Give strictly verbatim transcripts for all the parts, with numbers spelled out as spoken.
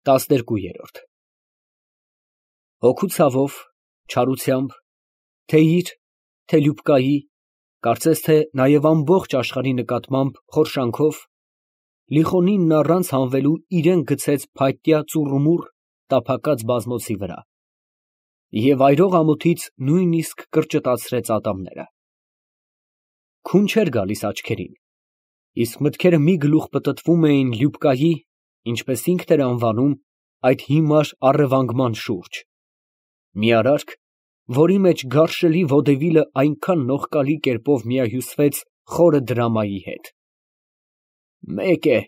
տասներկուերորդ Հոգու ցավով, չարությամբ, թե՛ իր, թե՛ Լյուբկայի, կարծես թե նաև ամբողջ աշխարհի նկատմամբ խորշանքով, Լիխոնինն առանց հանվելու իրան գցեց փայտյա ծուռումուռ տափակած բազմոցի վրա և այրող ամոթից նույնիսկ կրճտացրեց ատամները. քուն չէր գալիս աչքերին, իսկ մտքերը մի գլուխ պտտվում էին Լյուբկայի, ինչպես ինքն էր անվանում, այդ հիմար առևանգման շուրջ, մի արարք, որի մեջ գարշելի վոդևիլը այնքան նողկալի կերպով միահյուսվեց խորը դրամայի հետ։ Մեկ է,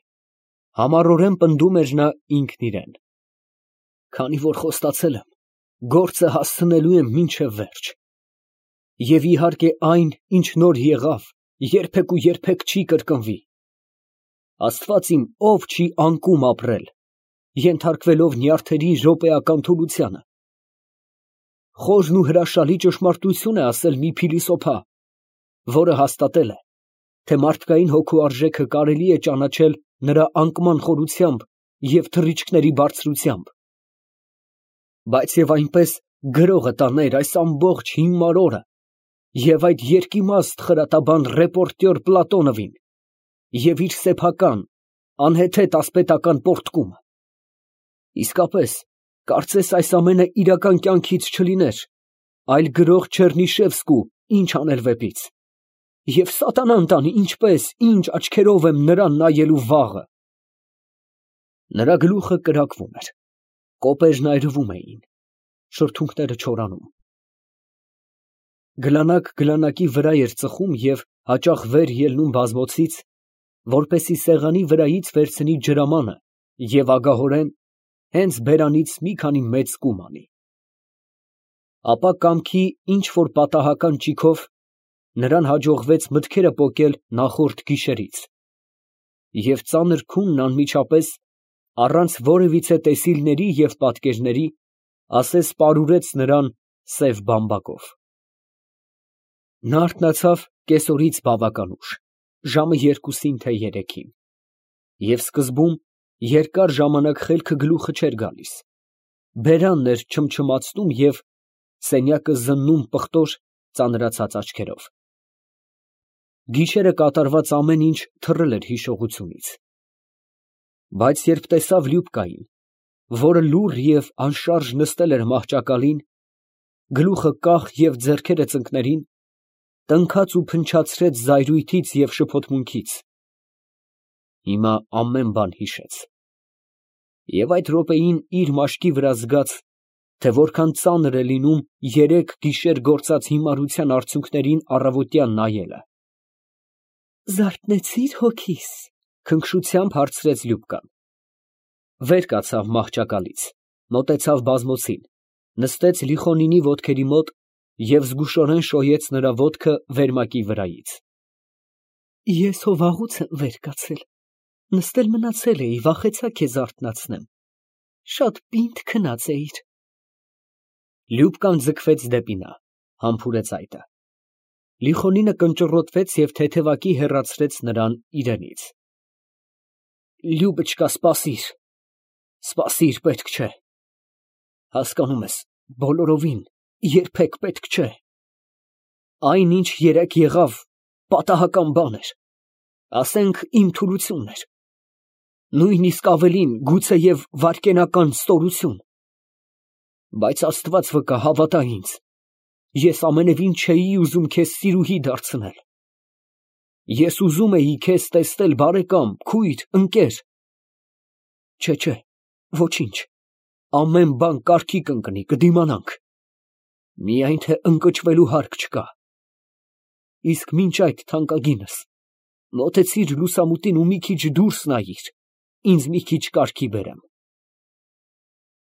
համառորեն պնդում էր նա ինքն իրան, քանի որ խոստացել եմ, գործը հասցնելու եմ մինչև վերջ, և իհարկե այն, ինչ նոր եղավ, երբեք ու երբեք չի կրկնվի։ Աստված իմ, ով չի անկում ապրել, ենթարկվելով նյարդերի րոպեական թուլությանը։ Խորն ու հրաշալի ճշմարտություն է ասել մի փիլիսոփա, որը հաստատել է, թե մարդկային հոգու արժեքը կարելի է ճանաչել նրա անկման խորությամբ և թռիչքների բարձրությամբ, բայց և այնպես գրողը տաներ այս ամբողջ հիմար օրը և այդ երկիմաստ խրատաբան ռեպորտյոր Պլատոնովին և իր սեփական, անհեթեթ ասպետական պոռթկումը։ Իսկապես, կարծես այս ամենը իրական կյանքից չլիներ, այլ գրող Չեռնիշևսկու «Ինչ անել» վեպից, և սատանան տանի, ինչպես, ինչ աչքերով եմ նրան նայելու վաղը։ Նրա գլուխը կրակվում էր, կոպերն այրվում էին, շրթունքները չորանում։ Գլանակ գլանակի վրա էր ծխում և հաճախ վեր ելնում բազմոցից, որպեսզի սեղանի վրայից վերցնի ջրամանը և ագահորեն հենց բերանից մի քանի մեծ կում անի։ Ապա կամքի ինչ֊որ պատահական ճիգով նրան հաջողվեց մտքերը պոկել նախորդ գիշերից, և ծանր քունն անմիջապես, առանց որևիցե տեսիլների և պատկերների, ասես պարուրեց նրան սև բամբակով։ Նա արթնացավ կեսօրից բավական ուշ, ժամը երկուսին թե երեքին, և սկզբում երկար ժամանակ խելքը գլուխը չէր գալիս, բերանն էր չմչմացնում և սենյակը զննում պղտոր, ծանրացած աչքերով։ Գիշերը կատարված ամեն ինչ թռել էր հիշողությունից։ Բայց երբ տեսավ Լյուբկային, որը լուռ և անշարժ նստել էր մահճակալին, գլուխը կախ և ձեռքերը ծնկներին, տնքաց ու փնչացրեց զայրույթից և շփոթմունքից, հիմա ամեն բան հիշեց, և այդ րոպեին իր մաշկի վրա զգաց, թե որքան ծանր է լինում երեք գիշեր գործած հիմարության արդյունքներին առավոտյան նայելը։ «Զարթնեցի՞ր հոգիս», ֊ քնքշությամբ հարցրեց Լյուբկան։ Վեր կացավ մահճակալից, մոտեցավ բազմոցին, նստեց Լիխոնինի ոտքերի մոտ և զգուշորեն շոյեց նրա ոտքը վերմակի վրայից։ Ես հո վաղուց եմ վեր կացել, նստել մնացել էի, վախեցա քեզ արթնացնեմ, շատ պինդ քնած էիր։ Լյուբկան ձգվեց դեպի նա, համբուրեց այտը։ Լիխոնինը կնճռոտվեց և թեթևակի հեռացրեց նրան իրենից։ Լյուբճկա, սպասիր, սպասիր, պետք չէ, հասկանում ես, բոլորովին, երբեք պետք չէ։ Այն, ինչ երեկ եղավ, պատահական բան էր, ասենք իմ թուլությունն էր, նույնիսկ ավելին, գուցեև վայրկենական ստորություն, բայց Աստված վկա, հավատա ինձ, ես ամենևին չէի ուզում քեզ սիրուհի դարձնել, ես ուզում էի քեզ տեսնել բարեկամ, քույր, ընկեր, չէ, չէ, ոչինչ, ամեն բան կարգի կընկնի, կդիմանանք, միայն թե ընկճվելու հարկ չկա։ Իսկ մինչ այդ, թանկագինս, մոտեցիր լուսամուտին ու մի քիչ դուրս նայիր, ինձ մի քիչ կարգի բերեմ։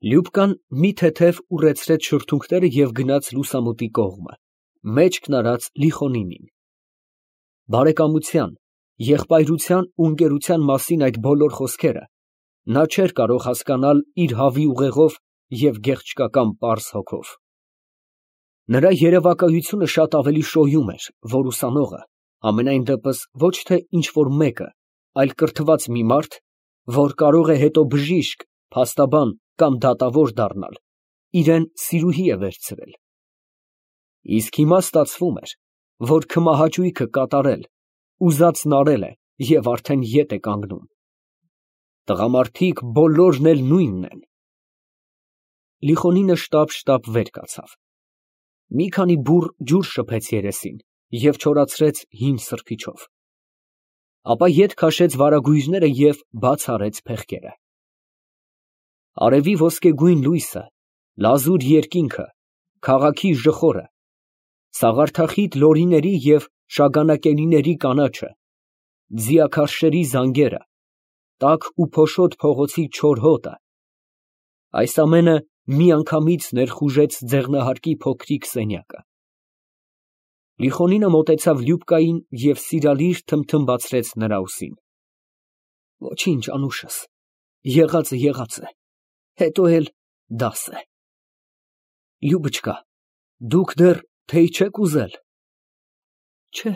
Լյուբկան մի թեթև ուռեցրեց շրթունքները և գնաց լուսամուտի կողմը, մեջքն արած Լիխոնինին։ Բարեկամության, եղբայրության ու ընկերության մասին այդ բոլոր խոսքերը նա չէր կարող հասկանալ իր հավի ուղեղով և գեղչկական պարզ հոգով։ Նրա երևակայությունը շատ ավելի շոյում էր, որ ուսանողը, համենայն դեպս ոչ թե ինչ֊որ մեկը, այլ կրթված մի մարդ, որ կարող է հետո բժիշկ, փաստաբան կամ դատավոր դառնալ, իրեն սիրուհի է վերցրել։ Իսկ հիմա ստացվում էր, որ քմահաճույքը կատարել, ուզածն արել է և արդեն ետ է կանգնում։ Տղամարդիկ բոլորն էլ նույնն են։ Լիխոնինը շտապ֊շտապ վեր կացավ։ Մի քանի բուռ ջուր շփեց երեսին և չորացրեց հին սրբիչով։ Ապա ետ քաշեց վարագույրները և բաց արեց փեղկերը։ Արևի ոսկեգույն լույսը, լազուր երկինքը, քաղաքի ժխորը, սաղարթախիտ լորիների և շագանակենիների կանաչը, ձիաքարշերի զանգերը, տաք ու փոշոտ փողոցի չոր հոտը, այս ամենը միանգամից ներխուժեց ձեղնահարկի փոքրիկ սենյակը։ Լիխոնինը մոտեցավ Լյուբկային և սիրալիր թմթմբացրեց նրա ուսին։ Ոչինչ, անուշս, եղածը եղած է, հետո էլ դաս է։ Լյուբչկա, դուք դեռ թեյ չեք ուզել։ Չէ,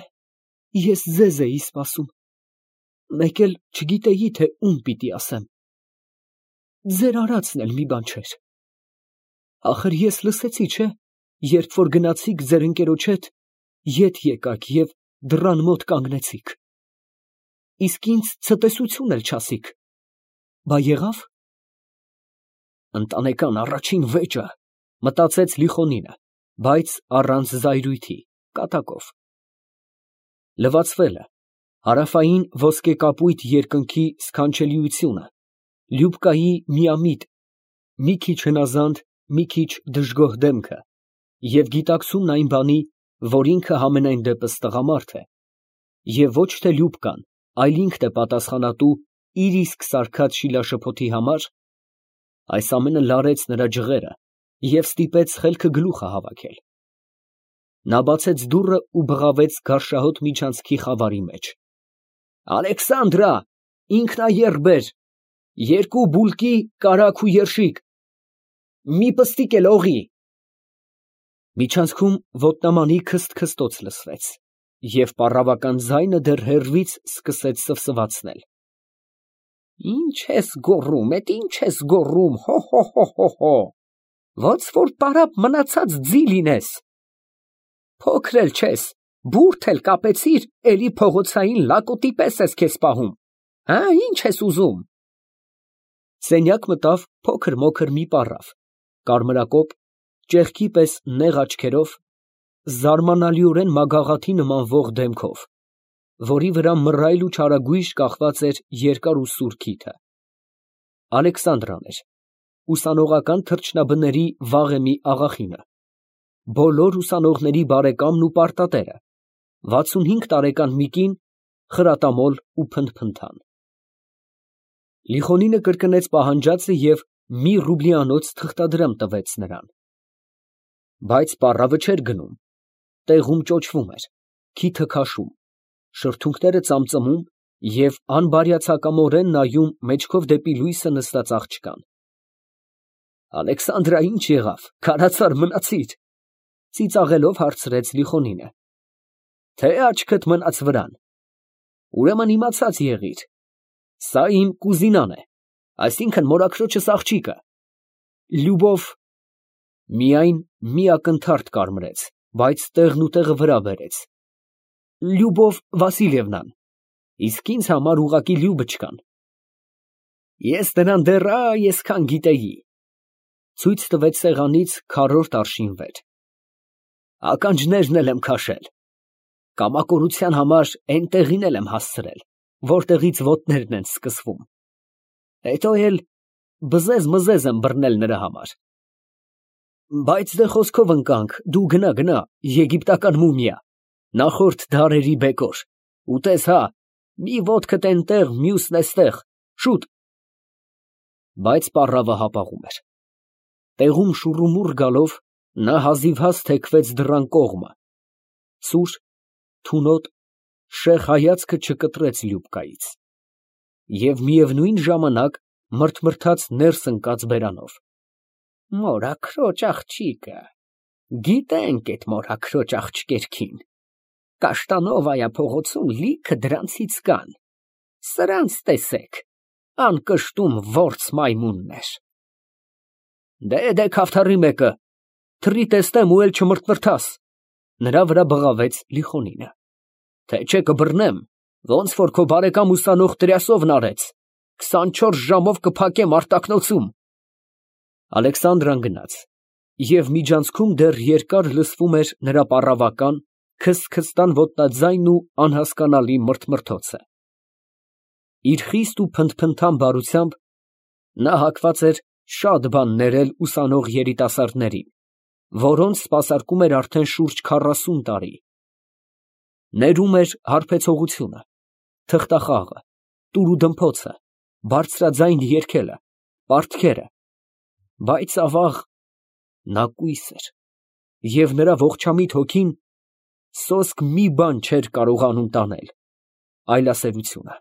ես ձեզ էի սպասում, մեկ էլ չգիտեի, թե ում պիտի ասեմ։ Ձեր արածն էլ մի բան չէր։ Ախր ես լսեցի, չէ՞, երբ որ գնացիք ձեր ընկերոջ հետ, ետ եկաք և դռան մոտ կանգնեցիք։ Իսկ ինձ ցտեսություն էլ չասիք։ Բա եղավ։ Ընտանեկան առաջին վեճը, մտածեց Լիխոնինը, բայց առանց զայրույթի, կատակով։ Լվացվելը, հարավային ոսկեկապույտ երկնքի սքանչելիությունը, Լյուբկայի միամիտ, մի քիչ հնազանդ, մի քիչ դժգոհ դեմքը և գիտակցումն այն բանի, որ ինքը համենայն դեպս տղամարդ է, և ոչ թե Լյուբկան, այլ ինքն է պատասխանատու իր իսկ սարքած շիլաշփոթի համար, այս ամենը լարեց նրա ջղերը և ստիպեց խելքը գլուխը հավաքել։ Նա բացեց դուռը ու բղավեց գարշահոտ միջանցքի խավարի մեջ։ Ալեքսանդրա, ինքնաեռ բեր, երկու բուլկի կարագ ու երշիկ, մի պստիկ էլ օղի։ Միջանցքում ոտնամանի քսթ֊քստոց լսվեց, և պառավական ձայնը դեռ հեռվից սկսեց սվսվացնել։ Ինչ ես գոռում, էդ ինչ ես գոռում, հո՛֊հո՛֊հո՛֊հո՛։ Ոնց որ պարապ մնացած ձի լինես։ Փոքր էլ չես, բուրդ էլ կապեցիր, էլի փողոցային լակոտի պես ես քեզ պահում, հա, ինչ ես ուզում։ Սենյակ մտավ փոքր֊մոքր մի պառավ, կարմրակոպ, ճեղքի պես նեղ աչքերով, զարմանալիորեն մագաղաթի նմանվող դեմքով, որի վրա մռայլ ու չարագույժ կախված էր երկար ու սուր քիթը։ Ալեքսանդրան էր, ուսանողական թռչնաբների վաղեմի աղախինը, բոլոր ուսանողների բարեկամն ու պարտատերը, վաթսունհինգ տարեկան մի կին, խրատամոլ ու փնթփնթան։ Լիխոնինը կրկնեց պահանջածը և մի ռուբլիանոց թղթադրամ տվեց նրան։ Բայց պառավը չէր գնում, տեղում ճոճվում էր, քիթը քաշում, շրթունքները ծամծմում և անբարյացակամորեն նայում մեջքով դեպի լույսը նստած աղջկան։ Ալեքսանդրա, ինչ եղավ, քարացար մնացի՞ր, ծիծաղելով հարցրեց Լիխոնինը։ Թե աչքդ մնաց վրան։ Ուրեմն իմացած եղիր, սա իմ կուզինան է, այսինքն մորաքրոջս աղջիկը։ Լյուբով… Միայն մի ակնթարթ կարմրեց, բայց տեղն ու տեղը վրա բերեց։ Լյուբով Վասիլևնան, իսկ ինձ համար ուղղակի Լյուբչկան։ Ես նրան դեռ այ այսքան գիտեի։ Ցույց տվեց սեղանից քառորդ արշին վեր։ Ականջներն էլ եմ քաշել։ Կամակորության համար էնտեղին էլ եմ հասցրել, որտեղից ոտներն են սկսվում։ Հետո էլ բզեզ֊մզեզ եմ բռնել նրա համար։ Բայց դե խոսքով ընկանք, դու գնա, գնա, եգիպտական մումիա, նախորդ դարերի բեկոր, ուտես հա, մի ոտքդ էնտեղ, մյուսն էստեղ, շուտ։ Բայց պառավը հապաղում էր։ Տեղում շուռումուռ գալով, նա հազիվհազ թեքվեց դռան կողմը, սուր, թունոտ, շեղ հայացքը չկտրեց Լյուբկայից և միևնույն ժամանակ մրթմրթաց ներս ընկած բերանով։ Մորաքրոջ աղջիկը, գիտենք էդ մորաքրոջ աղջկերքին, Կաշտանովայա փողոցում լիքը դրանցից կան, սրանց տեսեք, անկշտում որց մայմուններ։ Դե դե քավթարի մեկը, թռի տեսնեմ ու էլ չմրթմրթաս։ Նրա վրա բղավեց Լիխոնինը։ Թե չէ կբռնեմ, ոնց որ քո բարեկամ ուսանող Տրյասովն արեց, քսանչորս ժամով կփակեմ արտակնոցում։ Ալեքսանդրան գնաց, և միջանցքում դեռ երկար լսվում էր նրա պառավական, քսթքստան ոտնաձայնն ու անհասկանալի մրթմրթոցը։ Իր խիստ ու փնթփնթան բարությամբ նա հակված էր շատ բան ներել ուսանող երիտասարդներին, որոնց սպասարկում էր արդեն շուրջ քառասուն տարի. ներում էր հարբեցողությունը, թղթախաղը, տուրուդմփոցը, բարձրաձայն երգելը, պարտքերը, բայց, ավաղ, նա կույս էր, և նրա ողջամիտ հոգին սոսկ մի բան չէր կարողանում տանել, այլասերությունը։